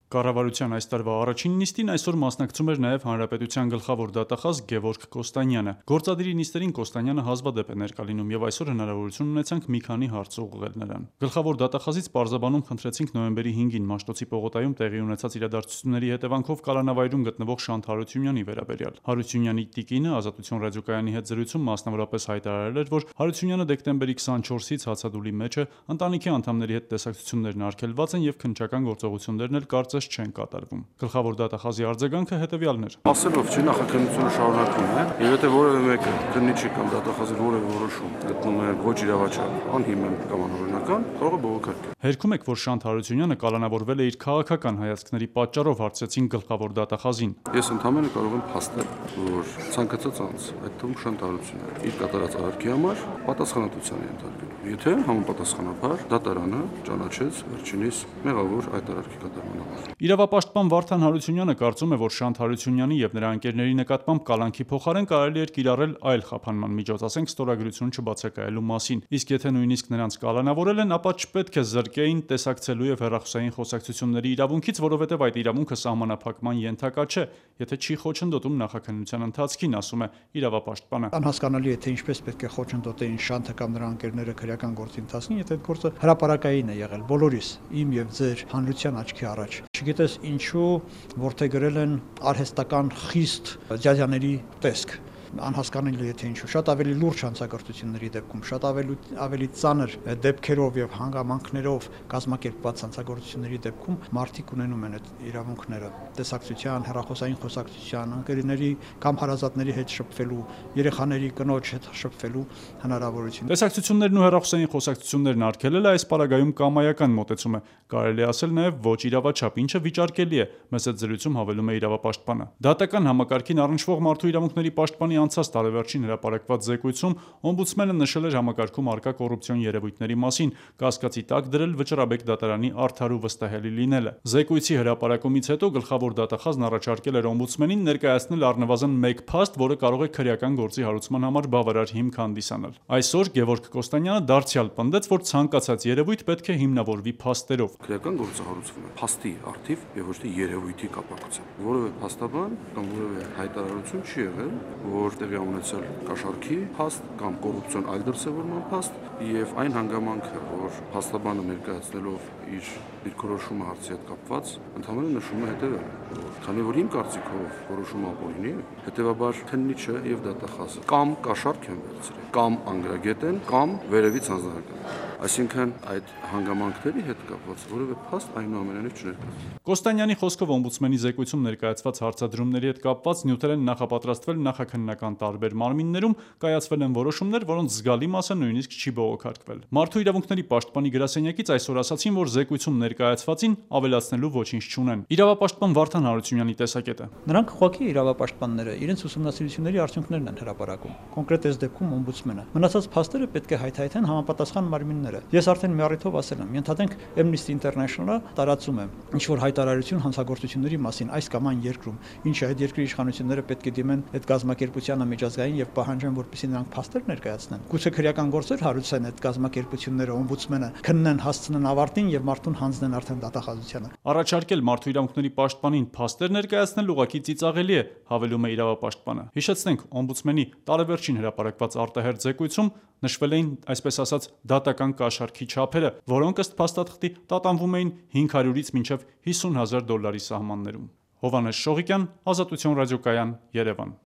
Կառավարության այս տարվա առաջին նիստին այսօր մասնակցում էր նաև Հանրապետության գլխավոր դատախազ Գևորգ Կոստանյանը։ Գործադիրի նիստերին Կոստանյանը հազվադեպ է ներկա լինում եւ այսօր հնարավորություն ունեցանք մի քանի հարց ուղղել նրան։ Գլխավոր դատախազից պարզաբանում խնդրեցինք նոյեմբերի 5-ին Մաշտոցի պողոտայում տեղի ունեցած իրադարձությունների հետևանքով կալանավայրում գտնվող Շանթ Հարությունյանի վերաբերյալ։ Հարությունյանի տիկինը Ազատություն ռադիոկայանի հետ զրույցում մասնավորապես հայտարարել էր, որ Հարությունյանը դեկտեմբերի 24-ից հացադուլի մեջ է, ընտանիքի անդամների հետ տեսակցություններն արգելված են եւ քննչական գործողություններն էլ կարծես չեն կատարվում։ Գլխավոր դատախազի արձագանքը հետևյալն էր. Ասելով չի նախաքննությունը շարունակվում է, եւ եթե որևէ մեկը քննիչի կամ դատախազի որևէ որոշում գտնում է ոչ իրավաչափ, անհիմն կամ անօրինական, կարող է բողոքարկել։ Հերքում եք, որ Շանթ Հարությունյանը կալանավորվել է իր քաղաքական հայացքների պատճառով, հարցրեցին գլխավոր դատախազին։ Ես ընդհանրապես կարող եմ փաստել, որ ցանկացած անձ, այդ թվում Շանթ Հարությունյանը, իր կատարած արարքի համար պատասխանատվության է ենթարկվում։ Եթե համապատասխանաբար դատարանը ճանաչեց վերջինիս մեղավոր այդ արարքի կատարման համար։ Իրավապաշտպան Վարդան Հարությունյանը կարծում է, որ Շանթ Հարությունյանի եւ նրա ընկերների նկատմամբ կալանքի փոխարեն կարելի էր կիրառել այլ խափանման միջոց, ասենք ստորագրություն չբացակայելու մասին։ Իսկ եթե նույնիսկ նրանց կալանավորել են, ապա չպետք է զրկեին տեսակցելու եւ հեռախոսային խոսակցությունների իրավունքից, որովհետեւ այդ իրավունքը սահմանափակման ենթակա չէ, եթե չի խոչընդոտում նախաքննության ընթացքին, ասում է իրավապաշտպանը։ Անհասկանալի է, թե ինչպես պետք է խոչընդոտեին Շանթը կամ նրա ընկերները քրեական գործի ընթացքին, եթե այդ գործը հրապարակային է եղել բոլորիս, իմ եւ ձեր հանրության աչքի առաջ։ Չգիտես ինչու ворթեգրել են արհեստական խիստ ջաջաների տեսք։ Անհասկանալի է, թե ինչու շատ ավելի լուրջ հանցագործությունների դեպքում, շատ ավելի ծանր դեպքերով եւ հանգամանքներով կազմակերպված հանցագործությունների դեպքում մարդիկ ունենում են այդ իրավունքները տեսակցության, հեռախոսային խոսակցության, ընկերների կամ հարազատների հետ շփվելու, երեխաների կնոջ հետ շփվելու հնարավորություն։ Տեսակցություններն ու հեռախոսային խոսակցություններն արգելելը այս պարագայում կամայական մոտեցում է, կարելի ասել նաև ոչ իրավաչափ, ինչը վիճարկելի է, մեծ այդ զրույցում հավելում է իրավապաշտպանը։ Դատական համակարգին առնչվող մարդու իրավունքների պաշտպանի անցած տարեվերջին հրապարակված զեկույցում օմբուդսմենը նշել էր համակարգում առկա կոռուպցիոն երևույթների մասին, կասկածի տակ դրել Վճռաբեկ դատարանի արդար ու վստահելի լինելը։ Զեկույցի հրապարակումից հետո գլխավոր դատախազն առաջարկել էր օմբուդսմենին ներկայացնել առնվազն մեկ փաստ, որը կարող է քրեական գործի հարուցման համար բավարար հիմք հանդիսանալ։ Այսօր Գևորգ Կոստանյանը դարձյալ պնդեց, որ ցանկացած երևույթ պետք է հիմնավորվի փաստերով։ Քրեական գործը հարուցվում է փաստի առթիվ եւ ոչ թե երևույթի կապակցությամբ։ Որևէ փաստաբան կամ որևէ հայտարարություն չի եղել, որ տեղի ունեցել կաշառքի փաստ կամ կոռուպցիոն այլ դրսևորման փաստ եւ այն հանգամանքը, որ փաստաբանը ներկայացնելով իր դիրքորոշումը հարցի հետ կապված ընդհանրապես նշում է հետեւյալը, որ քանի որ իմ կարծիքով որոշումը ապօրինի է, հետեւաբար քննիչը եւ դատախազը կամ կաշառք են վերցրել, կամ անգրագետ են, կամ վերևից հանձնարարական։ Այսինքն այդ հանգամանքների հետ կապված որևէ փաստ այնուամենայնիվ չներկայացվում։ Կոստանյանի խոսքով օմբուդսմենի զեկույցում ներկայացված հարցադրումների հետ կապված նյութեր են նախապատրաստվել նախաքննական տարբեր մարմիններում, կայացվել են որոշումներ, որոնց զգալի մասը նույնիսկ չի բողոքարկվել։ Մարդու իրավունքների պաշտպանի գրասենյակից այսօր ասացին, որ զեկույցում ներկայացվածին ավելացնելու ոչինչ չունեն։ Իրավապաշտպան Վարդան Հարությունյանի տեսակետը. Նրանք ուղղակի իրավապաշտպանները իրենց ուսումնասիրությունների արդյունքներն են հրապարակում։ Կոնկրետ այս դեպքում օմբուդսմենը։ Մնացած փաստերը պետք է հայթայթեն համապատասխան մարմինները։ Ես արդեն մի առիթով ասել եմ, ենթադրենք Amnesty International-ը տարածում է ինչ-որ հայտարարություն հանցագործությունների մասին այս կամ այն երկրում, ինչը այդ երկրի իշխանությունները պետք է դիմեն այդ կազմակերպությանը միջազգային եւ պահանջեն, որպեսզի նրանք փաստեր ներկայացնեն։ Գուցե քրեական գործեր հարուցեն այդ կազմակերպությունները, օմբուդսմենը քննեն, հասցնեն ավարտին եւ մարդուն հանձնեն արդեն դատախազությանը։ Առաջարկել մարդու իրավունքների պաշտպանին փաստեր ներկայացնել ուղղակի ծիծաղելի է, հավելում է իրավապաշտպանը։ Հիշեցնենք, օմբուդսմենի տարեվերջին հրապարակված արտահերթ զեկույցում նշվել էին, այսպես ասած, դատական կաշառքի չափերը, որոնք ըստ փաստաթղթի տատանվում էին 500-ից մինչև $50,000 սահմաններում։ Հովհաննես Շողիկյան, Ազատություն ռադիոկայան, Երևան։